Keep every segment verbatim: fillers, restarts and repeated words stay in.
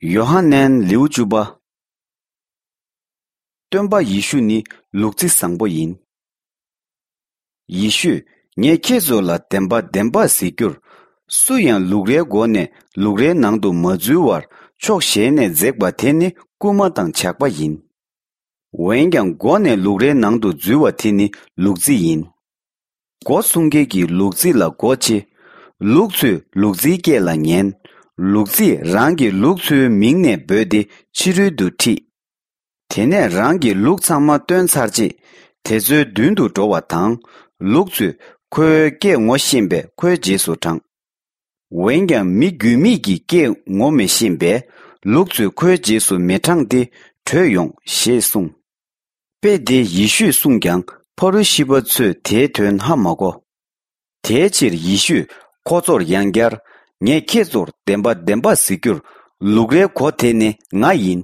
ཡོ་ཧ་ནན་ལེའུ་བཅུ་པ། སྟོན་པ་ཡེ་ཤུ་ནི་ལུག་རྫི་བཟང་པོ་ཡིན། ཡེ་ཤུས་ངས་ཁྱེད་ཚོ་ལ་བདེན་པ་བདེན་པ་ཟེར་རྒྱུར། སུ་ཡང་ལུག་རའི་སྒོ་ནས་ལུག་རའི་ནང་དུ་མ་འཛུལ་བར་ཕྱོགས་གཞན་ནས་འཛེགས་པ་དེ་ནི་རྐུན་མ་དང་ཇག་པ་ཡིན། འོན་ཀྱང་སྒོ་ནས་ལུག་རའི་ནང་དུ་འཛུལ་བ་དེ་ནི་ལུག་རྫི་ཡིན། སྒོ་སྲུང་མཁན་གྱིས་ལུག་རྫི་ལ་སྒོ་ཕྱེ། ལུག་ཚོས་ལུག་རྫིའི་སྐད་ལ་ཉན། ལུག་རྫིས་རང་གི་ལུག་ཚོའི་མིང་ནས་འབོད་དེ་ཕྱི་རོལ་དུ་ཁྲིད། དེ་ནས་རང་གི་ལུག་ཚང་མ་བཏོན་ཚར་རྗེས། དེ་ཚོའི་མདུན་དུ་འགྲོ་བ་དང་། ལུག་ཚོས་ཁོའི་སྐད་ངོ་ཤེས་པས་ཁོའི་རྗེས་སུ་འབྲངས། འོན་ཀྱང་མི་རྒྱུས་མེད་ཀྱི་སྐད་ངོ་མི་ཤེས་པས། ལུག་ཚོས་ཁོའི་རྗེས་སུ་མི་འབྲངས་ཏེ་བྲོས་ཡོང་ཞེས་གསུངས། དཔེ་དེ་ཡེ་ཤུས་གསུངས་ཀྱང་ཕ་རུ་ཤི་པ་ཚོས་དེའི་དོན་ཧ་མ་གོ། དེའི་ཕྱིར་ཡེ་ཤུས་ཁོ་ཚོར་ཡང་བསྐྱར། ངས་ཁྱེད་ཚོར་བདེན་པ་བདེན་པ་ཟེར་རྒྱུར། ལུག་རའི་སྒོ་དེ་ནི་ང་ཡིན།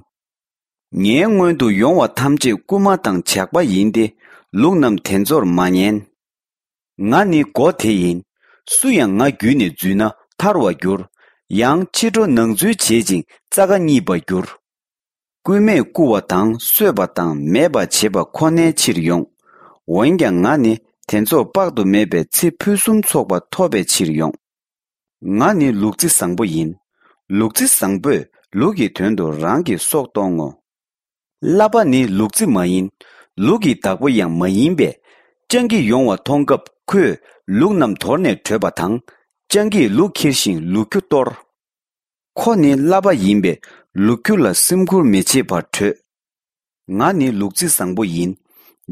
ངའི་སྔོན་དུ་ཡོང་བ་ཐམས་ཅད་རྐུན་མ་དང་ཇག་པ་ཡིན་ཏེ། ལུག་རྣམས་དེ་ཚོར་མ་ཉན། ང་ནི་སྒོ་དེ་ཡིན། སུ་ཡང་ང་བརྒྱུད་ནས་འཛུལ་ན་ཐར་བར་འགྱུར། ཡང་ཕྱི་དྲོ་ནང་འཛུལ་བྱེད་ཅིང་རྩྭ་ཁ་རྙེད་པར་འགྱུར། རྐུན་མས་རྐུ་བ་དང་གསོད་པ་དང་མེད་པར་བྱེད་པ་ཁོ་ནའི་ཕྱིར་ཡོང་། འོན་ཀྱང་ང་ནི་དེ་ཚོར་དཔག་ཏུ་མེད་པའི་ཚེ་ཕུན་སུམ་ཚོགས་པ་ཐོབ་པའི་ཕྱིར་ཡོང་། ང་ནི་ལུག་རྫི་བཟང་པོ་ཡིན། ལུག་རྫི་བཟང་པོས་ལུག་གི་དོན་དུ་རང་གི་སྲོག་གཏོང་ངོ་། གླ་པ་ནི་ལུག་རྫི་མ་ཡིན། ལུག་གི་བདག་པོ་ཡང་མ་ཡིན་པས། སྤྱང་ཀི་ཡོང་བ་མཐོང་སྐབས་ཁོས་ལུག་རྣམས་དོར་ནས་བྲོས་པ་དང་། སྤྱང་ཀིས་ལུག་ཁྱེར་ཞིང་ལུག་ཁྱུ་གཏོར། ཁོ་ནི་གླ་པ་ཡིན་པས་ལུག་ཁྱུ་ལ་སེམས་ཁུར་མི་བྱེད་པར་བྲོས། ང་ནི་ལུག་རྫི་བཟང་པོ་ཡིན།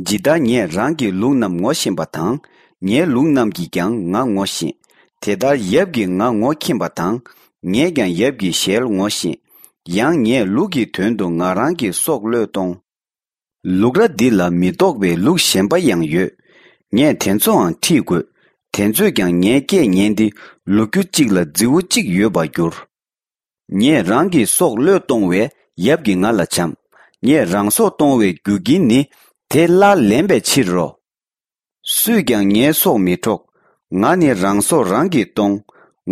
ཇི་ལྟར་ངས་རང་གི་ལུག་རྣམས་ངོ་ཤེས་པ་དང་། ངའི་ལུག་རྣམས་ཀྱིས་ཀྱང་ང་ངོ་ཤེས། དེ་ལྟར་ཡབ་ཀྱིས་ང་ངོ་མཁྱེན་པ་དང་། ངས་ཀྱང་ཡབ་ཀྱི་ཞལ་ངོ་ཤེས། ཡང་ངས་ལུག་གི་དོན་དུ་ང་རང་གི་སྲོག་བློས་གཏོང་། ལུག་ར་འདི་ལ་མི་གཏོགས་པའི་ལུག་གཞན་པ་ཡང་ཡོད། ངས་དེ་ཚོའང་ཁྲིད་དགོས། དེ་ཚོས་ཀྱང་ངའི་སྐད་ཉན་ཏེ་ལུག་ཁྱུ་གཅིག་ལ་རྫི་བོ་གཅིག་ཡོད་པར་འགྱུར། ངས་རང་གི་སྲོག་བློས་གཏོང་བས་ཡབ་ཀྱིས་ང་ལ་བྱམས། ངས་རང་སྲོག་གཏོང་བའི་རྒྱུ་རྐྱེན་ནི་དེ་སླར་ལེན་པའི་ཕྱིར་རོ། སུས་ཀྱང་ངའི་སྲོག་མི་འཕྲོག། ང་ནི་རང་སྲོག་རང་གིས་གཏོང་།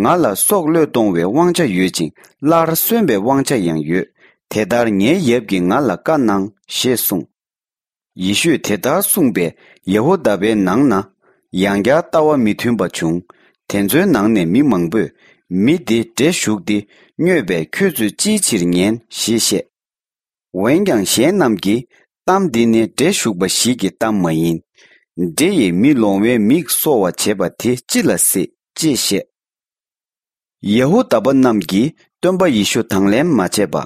ང་ལ་སྲོག་བློས་གཏོང་བའི་དབང་ཆ་ཡོད་ཅིང་སླར་གསོན་པའི་དབང་ཆ་ཡང་ཡོད། དེ་ལྟར་ངའི་ཡབ་ཀྱིས་ང་ལ་བཀའ་གནང་ཞེས་གསུངས། ཡེ་ཤུས་དེ་ལྟར་གསུངས་པས་ཡ་ཧུ་དཱ་པའི་ནང་ན་ཡང་བསྐྱར་ལྟ་བ་མི་མཐུན་པ་བྱུང་། དེ་ཚོའི་ནང་ནས་མི་མང་པོས་མི་འདི་འདྲེ་ཞུགས་ཏེ་སྨྱོས་པས་ཁྱོད་ཚོས་ཅིའི་ཕྱིར་ཉན་ཞེས་བཤད། འོན་ཀྱང་གཞན་རྣམས་ཀྱིས་གཏམ་འདི་ནི་འདྲེ་ཞུགས་པ་ཞིག་གི་གཏམ་མ་ཡིན། འདྲེ་ཡིས་མི་ལོང་བའི་མིག་གསོ་བར་བྱེད་པ་དེ་ཅི་ལ་སྲིད་ཅེས་བཤད། ཡ་ཧུ་དཱ་པ་རྣམས་ཀྱིས་སྟོན་པ་ཡེ་ཤུ་དང་ལེན་མ་བྱས་པ།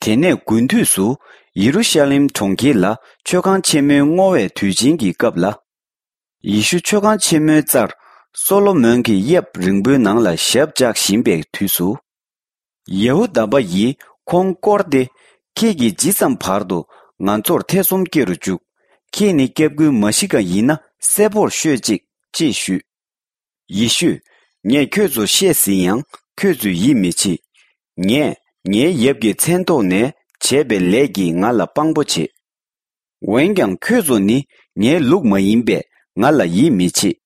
དེ་ནས་དགུན་དུས་སུ་ཡེ་རུ་ཤ་ལེམ་གྲོང་ཁྱེར་ལ་མཆོད་ཁང་ཆེན་མོའི་བསྔོ་བའི་དུས་ཆེན་གྱི་སྐབས་ལ། ཡེ་ཤུ་མཆོད་ཁང་ཆེན་མོའི་རྩར་སོ་ལོ་མོན་གྱི་གཡབ་རིང་པོའི་ནང་ལ་ཞབས་བཅགས་བཞིན་པའི་དུས་སུ། ཡ་ཧུ་དཱ་པ་ཡིས་ཁོང་བསྐོར་ཏེ། ཁྱེད་ཀྱིས་ཇི་ཙམ་བར་དུ་ང་ཚོར་ཐེ་ཚོམ་སྐྱེ་རུ་བཅུག། ཁྱེད་ནི་སྐྱབས་མགོན་མ་ཤི་ཀ་ཡིན་ན་གསལ་པོར་ཤོད་ཅིག་ཅེས་ཞུས། ཡེ་ཤུས། ངས་ཁྱོད་ཚོར་བཤད་ཟིན་ཡང་ཁྱོད་ཚོས་ཡིད་མི་ཆེས། ངས་ངའི་ཡབ་ཀྱི་མཚན་ཐོག་ནས་བྱས་པའི་ལས་ཀྱིས་ང་ལ་དཔང་པོ་བྱེད། འོན་ཀྱང་ཁྱོད་ཚོ་ནི་ངའི་ལུག་མ་ཡིན་པས་ང་ལ་ཡིད་མི་ཆེས།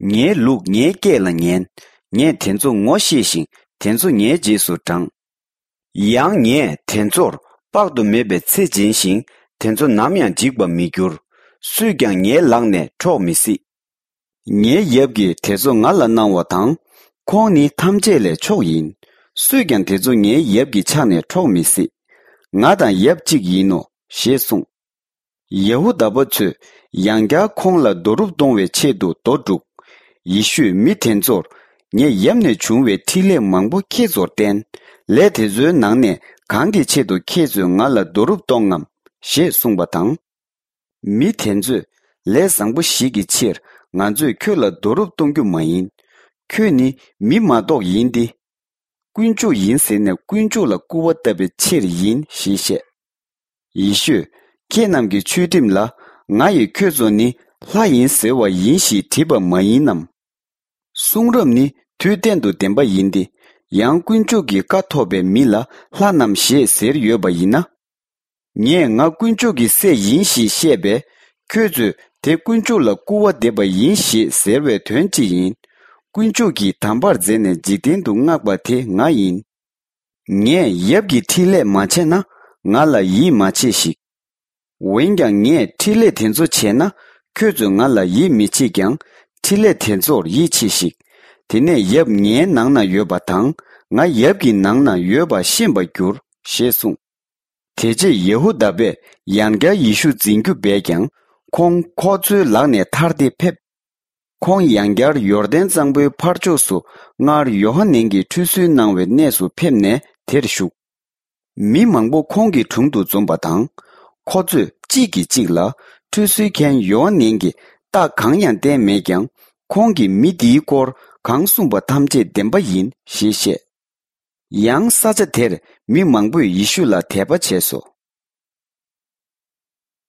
ངའི་ལུག་ངའི་སྐད་ལ་ཉན། ངས་དེ་ཚོ་ངོ་ཤེས་ཤིང་དེ་ཚོ་ངའི་རྗེས་སུ་འབྲངས། ཡང་ངས་དེ་ཚོར་དཔག་ཏུ་མེད་པའི་ཚེ་སྦྱིན་ཞིང་དེ་ཚོ་ནམ་ཡང་འཇིག་པར་མི་འགྱུར། སུས་ཀྱང་ངའི་ལག་ནས་འཕྲོག་མི་སྲིད། ངའི་ཡབ་ཀྱིས་དེ་ཚོ་ང་ལ་གནང་བ་དང་། ཁོང་ནི་ཐམས་ཅད་ལས་མཆོག་ཡིན། སུས་ཀྱང་དེ་ཚོ་ངའི་ཡབ་ཀྱི་ཕྱག་ནས་འཕྲོག་མི་སྲིད། ང་དང་ཡབ་གཅིག་ཡིན་ནོ་ཞེས་གསུངས། ཡ་ཧུ་དཱ་པ་ཚོས་ཡང་བསྐྱར་ཁོང་ལ་རྡོ་རུབ་གཏོང་བའི་ཆེད་དུ་རྡོ་བསྒྲུགས། ཡེ་ཤུས་མི་དེ་ཚོར། ངས་ཡབ་ནས་བྱུང་བའི་འཕྲིན་ལས་མང་པོ་ཁྱེད་ཚོར་བསྟན། ལས་དེ་ཚོའི་ནང་ནས་གང་གི་ཆེད་དུ་ཁྱེད་ཚོས་ང་ལ་རྡོ་རུབ་གཏོང་ངམ་ཞེས་གསུངས་པ་དང་། མི་དེ་ཚོས། ལས་བཟང་པོ་ཞིག་གི་ཕྱིར་ང་ཚོས་ཁྱོད་ལ་རྡོ་རུབ་གཏོང་རྒྱུ་མ་ཡིན། ཁྱོད་ནི་མི་མ་གཏོགས་ཡིན་ཏེ། དཀོན་མཆོག་ཡིན་ཟེར་ནས་དཀོན་མཆོག་ལ་སྐུར་བ་བཏབ་པའི་ཕྱིར་ཡིན་ཞེས་བཤད། ཡེ་ཤུས། ཁྱེད་རྣམས་ཀྱི་ཆོས་ཁྲིམས་ལ་ང་ཡིས་ཁྱོད་ཚོ་ནི་ལྷ་ཡིན་ཟེར་བ་ཡིན་ཞེས་བྲིས་པ་མ་ཡིན་ནམ། གསུང་རབ་ནི་དུས་གཏན་དུ་བདེན་པ་ཡིན་ཏེ། ཡང་དཀོན་མཆོག་གི་བཀའ་ཐོབ་པའི་མི་ལ་ལྷ་རྣམས་ཞེས་ཟེར་ཡོད་པ་ཡིན་ན། ངས་ང་དཀོན་མཆོག་གི་སྲས་ཡིན་ཞེས་བཤད་པས། ཁྱོད་ཚོས་དེ་དཀོན་མཆོག་ལ་སྐུར་བ་འདེབས་པ་ཡིན་ཞེས་ཟེར་བའི་དོན་ཅི་ཡིན། དཀོན་མཆོག་གིས་དམ་པར་མཛད་ནས་འཇིག་རྟེན་དུ་མངགས་པ་དེ་ང་ཡིན། ངས་ཡབ་ཀྱི་འཕྲིན་ལས་མ་བྱས་ན། ང་ལ་ཡིད་མ་ཆེས་ཤིག་འོན་ཀྱང་ངས་འཕྲིན་ལས་དེ་ཚོ་བྱས་ན། ཁྱོད་ཚོས་ང་ལ་ཡིད་མི་ཆེས་ཀྱང་། འཕྲིན་ལས་དེ་ཚོར་ཡིད་ཆེས་ཤིག་དེ་ནས་ཡབ་ངའི་ནང་ན་ཡོད་པ་དང་། ང་ཡབ་ཀྱི་ནང་ན་ཡོད་པ་ཤེས་པར་འགྱུར། ཞེས་གསུངས། དེ་རྗེས་ཡེ་ཧུ་དཱ་པས་ཡང་བསྐྱར་ཡེ་ཤུ་འཛིན་རྒྱུ་འབད་ཀྱང་། ཁོང་ཁོ་ཚོའི་ལག་ནས་ཐར་ཏེ་ཕེབས། ཁོང་ཡང་བསྐྱར་ཡོར་དན་གཙང་པོའི་ཕར་ཕྱོགས་སུ་སྔར་ཡོ་ཧ་ནན་གྱིས་ཁྲུས་གསོལ་གནང་བའི་གནས་སུ་ཕེབས་ནས་དེར་བཞུགས། མི་མང་པོ་ཁོང་གི་དྲུང་དུ་འཛོམས་པ་དང་། ཁོ་ཚོས་གཅིག་གིས་གཅིག་ལ། ཁྲུས་གསོལ་མཁན་ཡོ་ཧ་ནན་གྱིས་རྟགས་གང་ཡང་བསྟན་མེད་ཀྱང་། ཁོང་གིས་མི་འདིའི་སྐོར་གང་གསུངས་པ་ཐམས་ཅད་བདེན་པ་ཡིན་ཞེས་བཤད། ཡང་ས་ཆ་དེར་མི་མང་པོས་ཡེ་ཤུ་ལ་དད་པ་བྱས་སོ།